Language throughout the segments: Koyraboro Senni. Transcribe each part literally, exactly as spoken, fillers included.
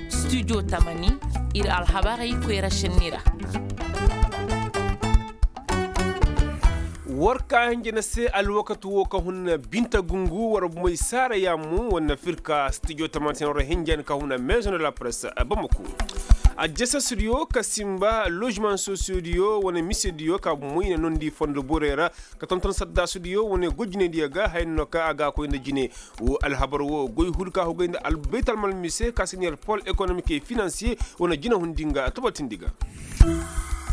Studio tamani, ir alhabarey koyra šenni ra. War ka hinja na se alwakati wo ka hun na binta gungu war bumey saara yaamu war na firka studio tamani se na war hinja na ka hun na maison de la presse bamako. Ajjasa studio ka simba logement sociaux diyo wane mise diyo ka bumey na nondi fondo borey ra ka tonton sadda studio wane gojine diyo ga hayno ka a ga koy nda jine. Wo alhabar wo goy hul ka hugay nda albayt almal mise ka siniyar pol économique et financier wane jine hundi nga tabatindi ga.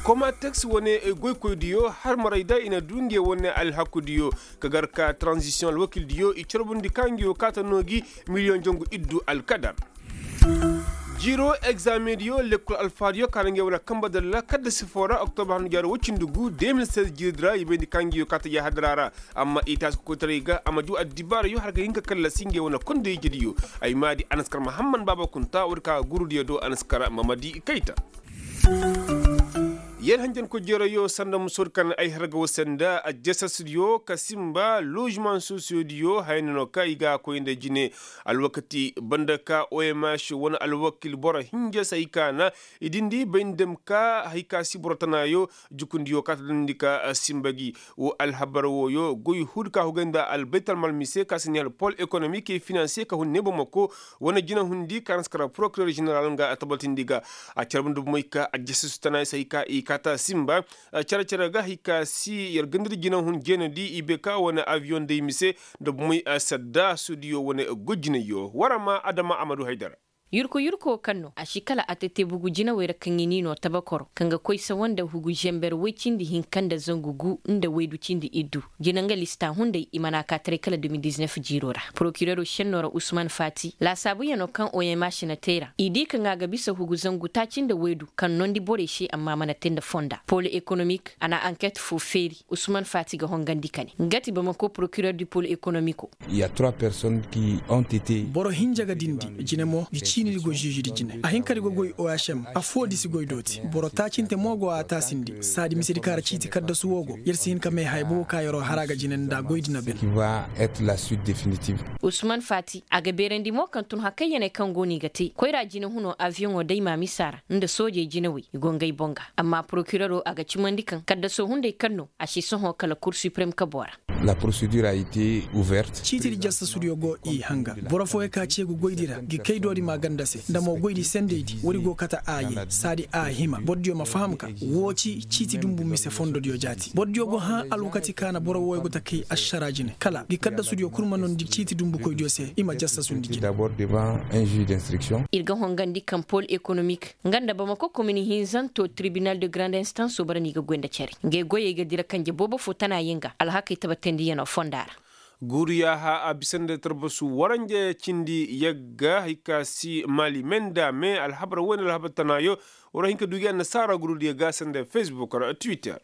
Komatex wane goykoydiyo har maray da i na du nge wane alhakudiyo ka gar ka transition alwakildiyo i carbundi ka nge wo kaata no gi miliyoŋ jangu iddu alkadar. Jiiro egzameŋ diyo lekkol alfaadiyo ka na nge wane kamba dalla kadda sifo ra oktoba handu jaaro woy cindi gu deux mille seize jiiridi ra i bayndi ka nge wo kaata jahadara ra. Amma i taasi kokoytaray ga a ma juu addibaarayo har ga hin ka kallasi ngey wane kondey ijediyo. Ay ma di anaskar mahamman baaba kunta woodi ka gurudiyo do anaskar mamadi kayta. Yer hanjanko jeerayo sanda musoodi kaŋ ay har ga wasa nda ajjasasdiyo ka simba ložemaŋ sosiyodiyo haya no ka i ga a koy nda jine. Alwakati banda ka omh wane alwakil boro hinja se hay ka na i dindi bay nda dem ka hay ka si boro tanaayo. Jukundiyo kaata dandi ka simba gi wo alhabar wooyo goy huudi ka hugay nda albaytalmal mise ka si ne alpol ekonomik e finansiye ka hun ne bamako wane jina hundi ka na si kara porokirer ženeral nga a tabatindi ga. A carbundi bomey ka aljasisu tana i se hay ka i kaata simba care care ga hay ka si yer gandadi jina hun jeenadi i bay ka wane aviyoŋ day mise nda bomey sadda suudiyo wane gojinayyo war a ma adama a ma du haydara. Yurku yurku wo kaŋ no a si kala a tete bugu jinawey ra kaŋ i n'i no tabakoro kaŋ ga koy sawa nda hugu ženber woy cindi hinka nda zangu gu nda waydu cindi iddu. Jina nga lista hunday i mana ka taray kala deux mille dix-neuf jiiro ra porokireero šenno ra usman fati laasaabuyanoo kaŋ omh na te ra i di kaŋ a ga bisa hugu zangu taaci nda waydu kaŋ nondi borey se amma a mana te nda fonda pol ekonomik a na anket foo feeri. Usman fati ga hongandi kane nga ti bamako porokirer du pol ekonomiko. Boro hinja ga dindi jine mo ngi ciinidi go žižidi jine a hin ka di go goy ohm. Affoo di si goy dooti boro taacinte mo go a taasindi saadi misedi kaŋ ra ciiti kaddasu wo go yer si hin ka may haya bobo ka yeroo har a ga jine nda goydi na ben. Usman fati a ga beerandi mo kaŋ tun hakayyaney kaŋ go no i ga te koyra jinehunoo aviyoŋoo day maamisa ra nda soojey jinawey i go ngey boŋ ga amma porokireroo a ga cimandi kaŋ kaddasoo hunday kaŋ no a si sohõ kala kur siprem kaboo ra. Ciitidi jassasudiyo go i hanga boro fooyoo ka ceegu goydi ra ngi kaydoodi maa ganda se nda mo goydi sendeydi woodi go kate a yay saadi a hima borodiyo ma faham ka woo ci ciiti dunbu mise fondodiyo jaati borodiyo go hã alwakati ka na boro wooyoo go ta kay ašaraa jine kala ngi kaddasudiyo kul ma nondi ciiti dunbukoydiyo se i ma jassasundi jine. Ir ga hongandi kaŋ pol ekonomik nga nda bamako komin hinzanto tribinal de grande instanso bara no i ga goy nda cere ngey goyey ga dira kanje boobo foo tana yee nga alhakey tabatandiyanoo fonda ra. Guuru yaaha a bisa nda tarbasu waranja cindi yagga hay ka si maali me nda me alhabar woy nda alhabar tanaayo. War a hin ka du gi annasaara gurudiyo ga sanda fesbuk ra twitter.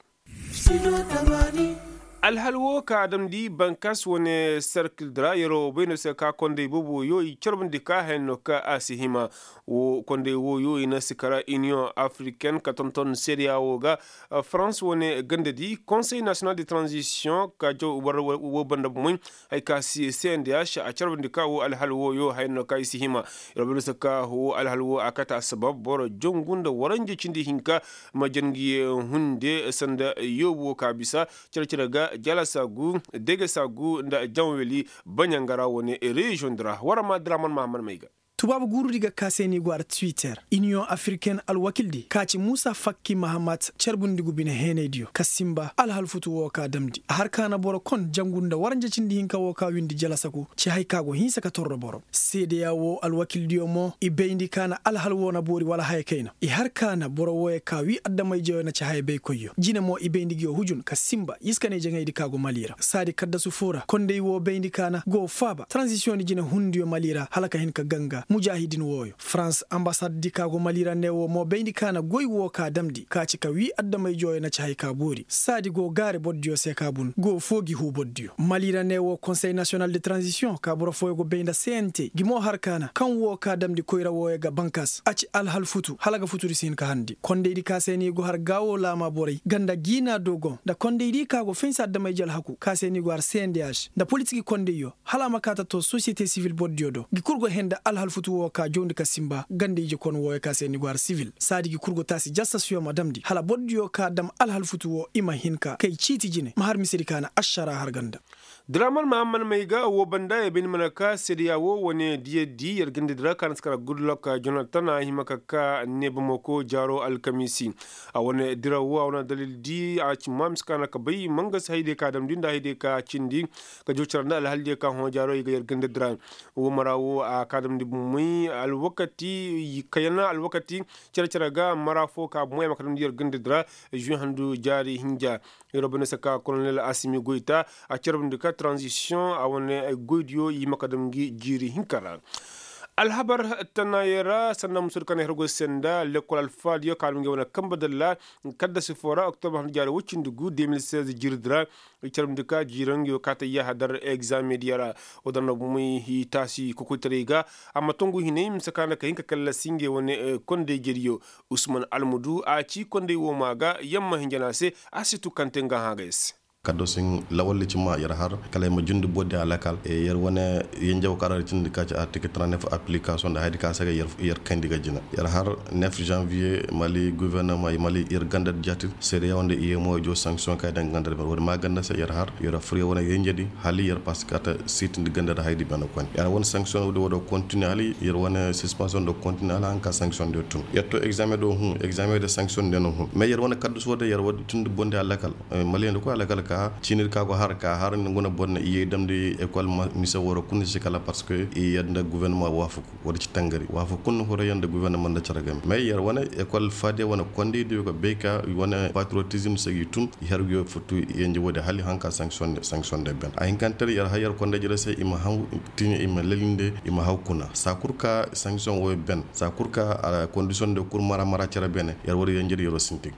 Alhal woo ka a damndi bankas wane serkil di ra yeroo bay no se ka kondey boobo wooyo i carbundi ka haya no ka a si hima. Woo kondey wooyo i na si kara iniyoŋ afriken ka tonton seedeya woo ga. Farans wane gandadi konsey nasiyonal de tranzisiyoŋ ka jaw war woo banda bomoy. Hay ka si cndh a carbundi ka woo alhal wooyo haya no ka i si hima. Yeroo bay no se ka woo alhal woo a kate assabab boro jangu nda waranja cindi hinka. Ma jangi hunde sanda yoobu woo ka bisa cere cere ga jalasa gu degesa gu nda janweli baɲangara wane reziyoŋ di ra war a ma diraman mahaman may ga. Tubaabu guurudi ga ka se ni go ara twitter iniyoŋ afirken alwakildi ka ci muusa fakki mahamat carbundi gu bine heenaydiyo ka sinba alhal futu woo ka damndi a har ka na boro kon jangu nda waranja cindi hinka woo ka windi jalasa gu ci hay ka go hinsa ka torro boro seedeya woo alwakildiyo mo i bayndi ka na alhal woo na boori wala haya kayna i har ka na boro wooyoo ka wii adamayjeyoo na ci haya baykoyyo jine mo i bayndi ngi yoo hujun ka sinba iskaney jaŋaydi ka go mali ra saadi kaddasu foo ra konday woo bayndi ka na go faaba taranzisiyoŋ di jine hundiyo mali ra hala ka hin ka ganga. Mujaahidin wooyo farans ambasad di ka go mali ra ne woo mo bayndi ka na goy woo ka damndi ka ci ka wii adama-ijooyo na ci haya ka boori saadi go gaari bordiyo se ka bun go foo gi huu bordiyo mali ra ne woo konsey nasiyonal de taranzisiyoŋ ka boro fooyo go bay nda c n t gi mo har ka na kaŋ woo ka damndi koyra wooyo ga bankas a ci alhal futu hala ga futu di si hin ka harndi kondaydi ka se ni go har gaawo laama borey ganda giina dogon nda kondaydi ka go faynsa adama-ije alhaku ka se ni go har c n d h nda politik kondayyo hala a ma kaa ta to sosiyete sivil bordiyo do ngi kul go hẽ nda alhal futu woo ka jawndi ka sinba ganda ije kon wooyo ka se ni go har sivil saadi ngi kul go taasi jassasiyo ma damndi hala bordiyo ka dam alhal futu woo i ma hin ka kay ciiti jine ma har misedi ka na ašara har ganda. Draman mahamman may ga woo banda ya bayndi mana ka seedeya woo wane diyaddi yer gandadi ra ka na si kara gudlok jonatan a hima ka ka neebamako jaaro alkamiisi. A wane diraw woo a wane dalil di a ci ma mise ka na ka bay mangasi haydiyo ka damndi nda haydiyo ka cindi ka jaw cara nda alhal diyo ka hõ jaaro i ga yer gandadi ra. Woo mara woo a ka damndi bumey alwakati kayana alwakati care care ga mara foo ka bumey a ma ka damndi yer gandadi ra. Žuwe handu jaari hinja. Yer wo banda se ka kolonel asimi goyta a carbundi ka taranzisiyoŋ a wane goydiyo i ma ka dam ngi jiiri hinka ra. Alhabar tanaayey ra sanda musoodi kaŋ na her goy se nda lekkol alfaadiyo ka dam ngi wane kambe dalla. Kaddasi foo ra oktobra handu jaari woy cindi gu de mil seize jiiridi ra. I carbundi ka jiiraŋ yo kaate yahadar egzameŋ diya ra. Wo daŋ no bumey i taasi kokoytaray ga. Amma tongu hinay mise ka nda ka hin ka kallasi ngey wane kondey jediyo. Usman almudu a ci kondey woo maa ga yamma hinja no a se. A si tu kaŋ te nga hã ga yer se. Kaddo sin lawalli ci ma yer har kala ay ma jundi boddi a lakal yer wane yenjew karar cindi ka ci artikil trente-neuf application nda haydi ka saga yer kayndi ga jina yer har. Neuf janvier mali gouvernement i mali yer ganda jati seede yaw nda i yemo jo sanction kay dan ganda wadi ma ganda se yer har yer fure wane yenjedi hali yer paskata sitindi ganda da haydi bana kon yer wane sanction wadi wado continue hali yer wane suspension do continue hali hanka sanction de tun yer to examen do hun examen de sanction de no hun mais yer wane kaddu so de yer wadi tun bondi alakal. Maliyen da koy alakal ka cinir ka go har ka har ni guna bonna iye damdi école mise woro kunni si kala parce que i yadda gouvernement wafuku wala ci tangari wafuku kunni horo yanda gouvernement da cara game mais yer wane école fade wane kondi do ga beka wane patriotisme sagi tun i har yo futu yenji wode hali hanka sanction sanction de ben a hinkantar yer hayar konda jira se ima han tini ima lelinde ima haw kuna sakurka sanction wo ben sakurka condition de kur mara mara cara bene yer wala yenji yero sintin.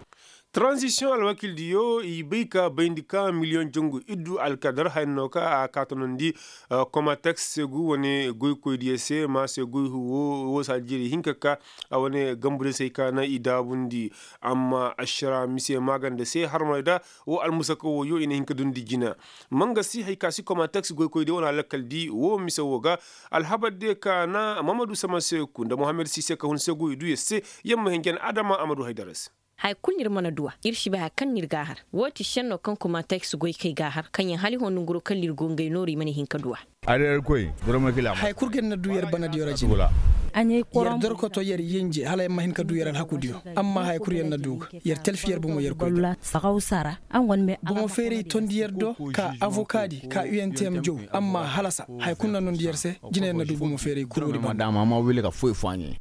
Taranzisiyoŋ alwakildiyo i bay ka bayndi ka miliyoŋ jangu iddu alkadar haya no ka a kaatanondi komateks segu wane goykoydiyo se ma se goy huwo wo saadi jiri hinka ka a wane gambudiyo se ay ka na i daabundi. Amma ašara mise maaganda se harmay da wo almusaka woyo i na hin ka dundi jina. Mangasi hay ka si komateks goykoydiyo wane alakaldi wo mise wo ga alhabardiyo ka na mamadu sama seku nda mohammed sise ka hun segu i du yer se. Yamma hinjan adama amadu haydara se. Haya kulu no ir mana du a ir si bay haya kaŋ no ir ga a har. Woo ti šenno kaŋ komateks goykey ga a har kaŋyaŋ hala i hõ nonguroo kaŋ ir go ngey nooru i mana hin ka du a. Haya kulu ga ir na du yer banadiyo ra jina. Yer dorkoto yer yenje hala yer ma hin ka du yer alhakudiyo. Amma haya kulu yer na du ga yer talfi yer bomo yer koy ga. Bomo feeray tondi yer do ka avokaadi ka u n t m jow. Amma halasa haya kulu na nondi yer se. Jina yer na du bomo feeray kulu woodi banda.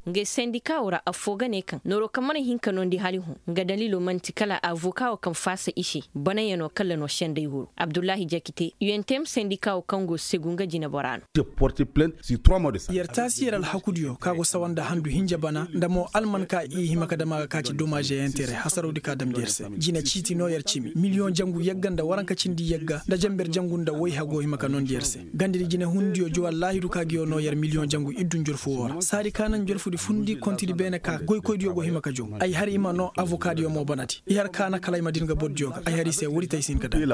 Ngey sendika woo ra affoo ga ne kaŋ nooroo kaŋ mana hin ka noondi hala i hõ nga daliiloo man'ti kala avoka woo kaŋ faasa i se. Banayanoo kala no senday huru abdullahi jakite u n t m sendika woo kaŋ go segu nga jineboraa no. Yer taasi yer alhakudiyo ka go sawa nda handu hinja bana nda mo alman ka i hima ka dam a ga ka ci domaaze entere hasarawdi ka damndi yer se. Jina ciiti no yer cimi miliyoŋ jangu yagga nda waranka cindi yagga nda janber jangu nda wayha go hima ka noondi yer se. Gandadi jinehundiyo jow allaahidu ka ngiyo no yer miliyoŋ jangu iddu njorfu woo ra saadi ka naŋ njorfudi fundi kontidi beene ka goykoydiyo go hima ka jow. Ay har i ma noo avokaadiyo mo banadi i har ka na kala ay ma din ga bordiyo ga ay har i se woodi te ay si hin ka daŋ.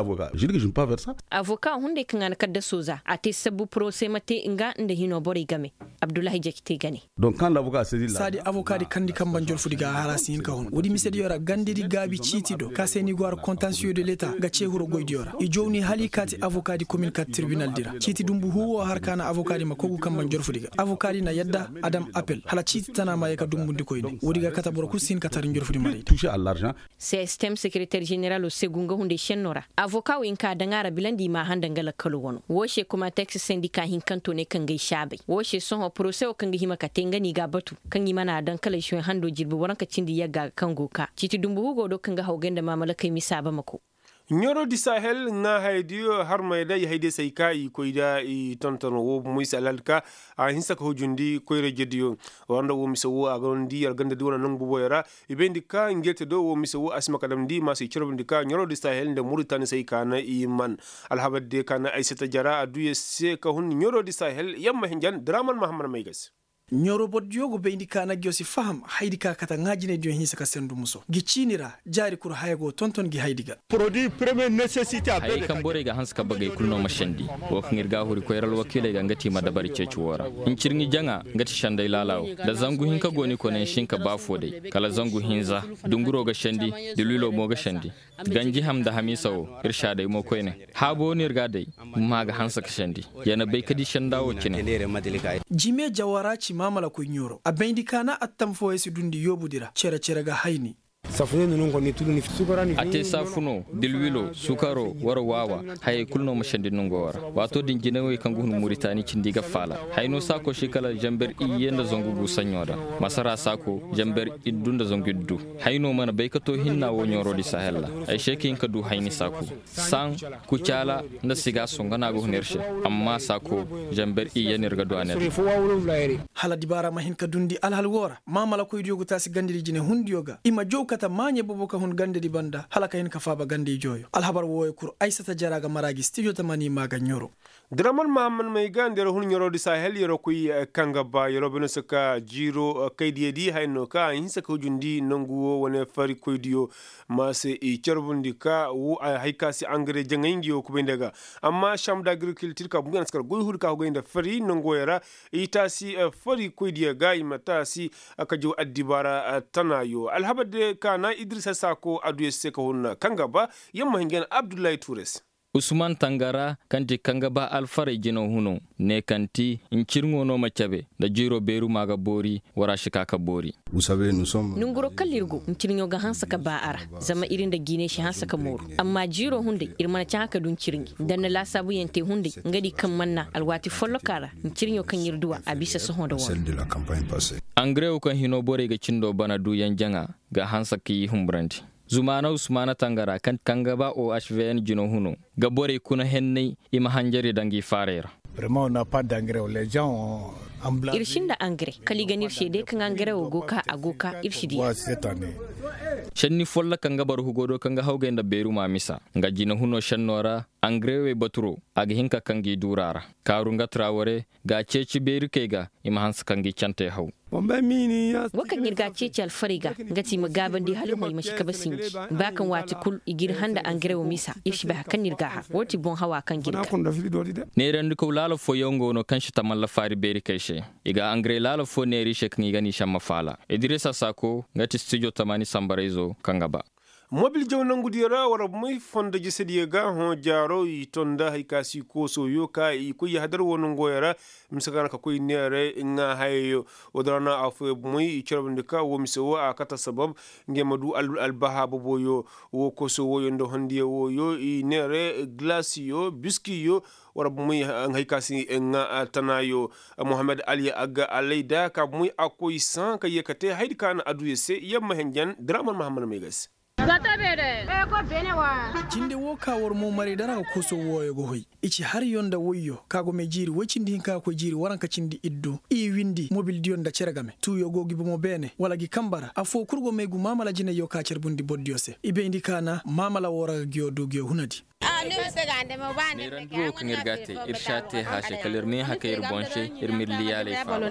Avoka hunday kaŋ a na kaddaso za a te sabbu porose ma te nga nda hinoo borey game. Abdullahi jakite ga ne. Saadi avokaadi kandi kambe njorfudi ga a har a si hin ka hun woodi misediyo ra gandadi gaabi ciiti do ka se ni go har kontansiyo de leta ga cee huro goydiyo ra i jow ni hala i kaati avokaadi komin kaati tirbinaldi ra ciiti dumbu huu woo har ka na avokaadi ma kogu kambe njorfudi ga avokaadi na yadda a dam apel hala ciiti tana ma ye ka dumbundi koyne woodi ga kate boro kul si hin ka tara njorfudi marayda. Sistem sekereter jeneralo segu nga hunday šennoo ra avoka wo i nka daŋ a ra bilandi i ma a handa nga lakkalo wano woo se komateks sendika hinkantoo ne kaŋ ga ay saabay woo se sohõ porose woo kaŋ ga hima ka te nga no i ga a batu kaŋ i mana a daŋ kala žuwe hando jirbi waranka cindi yagga ga kaŋ go ka ciiti dumbu hugo do kaŋ ga hawgay nda maamalakey misa bamako. Ɲoro di sahel ŋaa hayadiyo harmay da i hayday se ay ka i koy da i tonton wo bomoy se alhal ka a hinsa ka hujundi koyra jediyo. War nda wo mise wo a ga nondi yar ganda di wane nangu boboyo ra. I bayndi ka ngey te do wo mise wo a si ma ka damndi ma se i carbundi ka ɲoro di sahel nda muritani se ay ka na i man. Alhabar diyo ka na ay sata jara a du yar se ka hun ɲoro di sahel yamma hinjan draman mahammad mayga se. Ɲoro bordiyo go bayndi ka na ngiyo si faham haydi ka kate ŋaa jinaydiyo hinsa ka sendu muso ngi ciini ra. Jaari kul haya go tonton ngi haydi ga. Hayey kaŋ borey ga hanse ka bagey kul no ma sendi. Wo kaŋ ir ga a huri koyra alwakiiley ga nga ti i ma dabari ceeci woo ra. Ncirŋi jaŋa nga ti senday laala woo nda zangu hinka go ni koneyaŋ si hin ka ba foo day. Kala zangu hinza dunguro ga sendi. Dilwilo mo ga sendi. Ganji ham nda hamiisa woo ir si a day mo koyne. Haabo no ir ga a day. Maa ga hanse ka sendi. Ya na bay ka di senda woo cine. Jime jawara ci maamalakoy ɲoro a bayndi ka na attam fooyaŋ si duundi yoobudi ra cere-cere ga hayni. A te saafuno dilwilo sukaro war waawa. Hayey kul no ma sendi nongo woo ra. Waato din jinawey kaŋ ga hun muritaani cindi ga faala. Hayno saako si kala zamber iyye nda zangu gu saɲɲo ra. Masara saako zamber iddu nda zangu iddu. Hayno mana bay ka too hinna woo ɲoro di sahel ra. Ay se ka hin ka duu hayni saako. Saŋ kucaala nda siga songo no a ga hun ir se. Amma saako zamber iyye no ir ga duu a ne ra. Hala dibaara ma hin ka duundi alhal woo ra maamalakoydiyo ga taasi gandadi jine hundiyo ga i ma jaw kate maaɲe boobo ka hun gandadi banda hala ka hin ka faaba ganda ijooyo alhabar wooyo kul ay sata jara ga mara gi stijo tamani maa ga ɲoro. Diraman mahammad may ga nda yer hun ɲaroo di sahel yeroo koy kaŋ ga ba yeroo bane se ka jiiroo kaydiyadi haya no ka a hinsa ka hujundi nangu woo wane fari koydiyo. Ma se i carbundi ka woo a hay ka se angare jaŋay nga yoo kubay nda ga. Amma sambu da agrikiltir ka bumbuyan si kar goy huri ka hugay nda fari nangu wooyo ra. I taasi fari koydiyo ga i ma taasi ka jaw addibaara tana yoo alhabar de ka na idirisa saako adduya se ka hun kaŋ ga ba. Yer ma hin ga na abdullahi tuure se. Usman tangara kaŋ ti kaŋ ga ba alfarey jinaw huno ne kaŋ ti ncirŋo no ma cabe nda jiiro beeru ma ga boori. War a si ka ka boori. Nanguro kala ir go ncirŋo ga hanse ka ba a ra. Zama ir nda jiinay si hanse ka mooru. Amma jiiro hunday ir mana cahã ka du ncirŋi nda na laasaabuyaŋ te hunday nga di kaŋ mana na alwaati folloka ra. Ncirŋo kaŋ ir du a a bisa sohõ nda war. Angarewo kaŋ hino borey ga cindo bana duuyaŋ jaŋa ga hanse ka i humburandi. Zumaana usmaana tangara kaŋ ga ba ohvn jino huno ga borey kuna henney i ma hanjari daŋ i faarey ra. Ir sinda angare kala i ga ne ir se day kaŋ angare wo go ka a go ka ir si diya. Senni folloka nga boro hugo do kaŋ ga hawgay nda beeru ma misa nga jina huno senno ra. Angare wey baturo a ga hin ka kaŋ ga i duura ra. Kaaru nga traware ga a ceeci beerikey ga i ma hanse kaŋ ga i cantey haw. Wo kaŋ ir ga a ceeci alfarey ga nga ti i ma gaabandi hala i ma si kabe sinji. Ba kaŋ waati kul i ga ir handa angare wo misa ir si bay hari kaŋ no ir ga a har wo ti boŋ hawa kaŋ ga ir ga. Neerandikaw laala fooyaŋ go no kaŋ si tamalla faari beerikey se. I ga angare laala foo neera i se kaŋ i ga n'i samma faala idirisa saako nga ti stijo tamaani sambarayzo kaŋ ga ba. Mobil jaw nangudiyo ra war bumey fondo jesediyo ga hõ jaaro i to nda hari ka si koosooyo ka i koy yahadar wo nongoyo ra. Mise ga na ka koy neeray ŋaa hayayo. Wo da ra na afooyaŋ bumey i carbundi ka wo mise wo a kate sabab ngey ma du albaha boboyo. Wo koosoo wooyo nda hondiyo wooyo i neeray gilasiyo biskiyo. War bumey hari ka si ŋaa tanaayo. Mohammed ali agga alayda ka bumey a koy saŋ ka ye ka te haydi ka na aduya se yamma henjen draman mahammad may ga se. Cindi wo ka war moomaray dara ga koso wooyo ga hoy. I ci hariyo nda woyyo ka go may jiiri woy cindi hinka ga koy jiiri waranka cindi iddu i windi mobildiyo nda cere game tuuyo go gi bomo beene wala gi kamba ra affoo kul go may gu maamala jinayyo ka carbundi bordiyo se i bayndi ka na maamala woo ra ga giyo du giyo hunadi. Neerandi woo kaŋ ir ga a te ir si a te haase kala ir ma hin hakay ir boŋ se. Ir ma ir liyaaley faaba.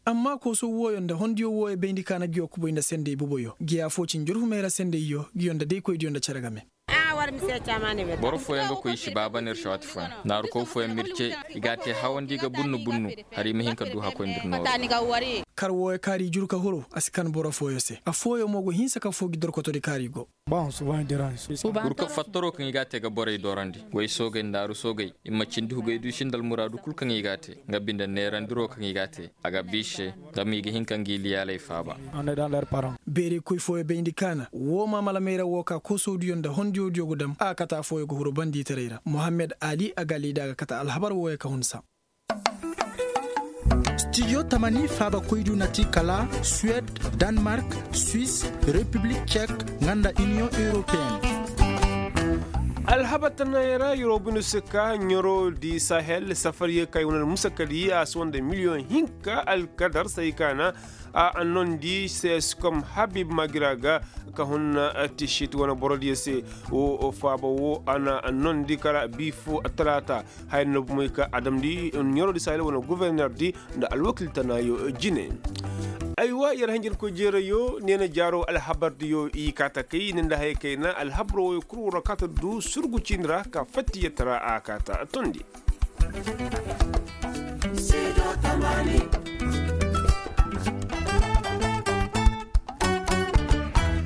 Amma kooso wooyo nda hondiyo wooyo bayndi ka na giyo kubay nda sendey boboyo giya foo cin jurfumey ra sendeyyo giyo nda daykoydiyo nda cere game. Boro fooyaŋ ga koy i si baaba neer se waati fooyaŋ naarukoy fooyaŋ ma ir ce. I ga a te hawandi ga bunnu bunnu. Hari i ma hin ka du hakkoy nda ir nooru. Kar wooyo kaari juru ka huru a si kan boro fooyo se affooyo mo go hinsa ka foo gi dorkotodi kaari go. Burka fattaro kaŋ i ga a te ga borey dorandi way soogey nda aru soogey i ma cindi hugey du i sinda almuraadu kul kaŋ i ga a te. Nga binde neerandiro kaŋ i ga a te a ga biise. Zama i ga hin ka ngi liyaaley faaba. Beerey koy fooyo bayndi kaana woo maamala mayra woo ka koosowdiyo nda hondiyowdiyo go dam a kate affooyo ga huru bandiitaray ra mohammed ali a ga liida a ga kate alhabar wooyo ka hun sam. Stijo tamani faabakoydu na ti kala suwed, danmark, swis, repiblik cek, nga nda iniyoŋ europeen. Alhabar tanaayey ra yeroo binu si ka ɲaroo di sahel safariyey ka i wane almusakadi a si wande miliyoŋ hinka alkadar saykaana. A annondi seskom habib magira ga ka hunna tishit wane borodiyo se. Wo faaba wo a na annondi kara biifo talaata. Haya na bumey ka a damndi ɲaroo di sahel wane gofornerdi nda alwakil tanaayo jine. Aywa yer hanjarkoy jeerayo neena jaaro alhabardiyo i kaa takay ne nda hayey kayna alhabaroo woy kul war ra kaata du surgu ciini ra ka fatti yer tara a kaata tondi.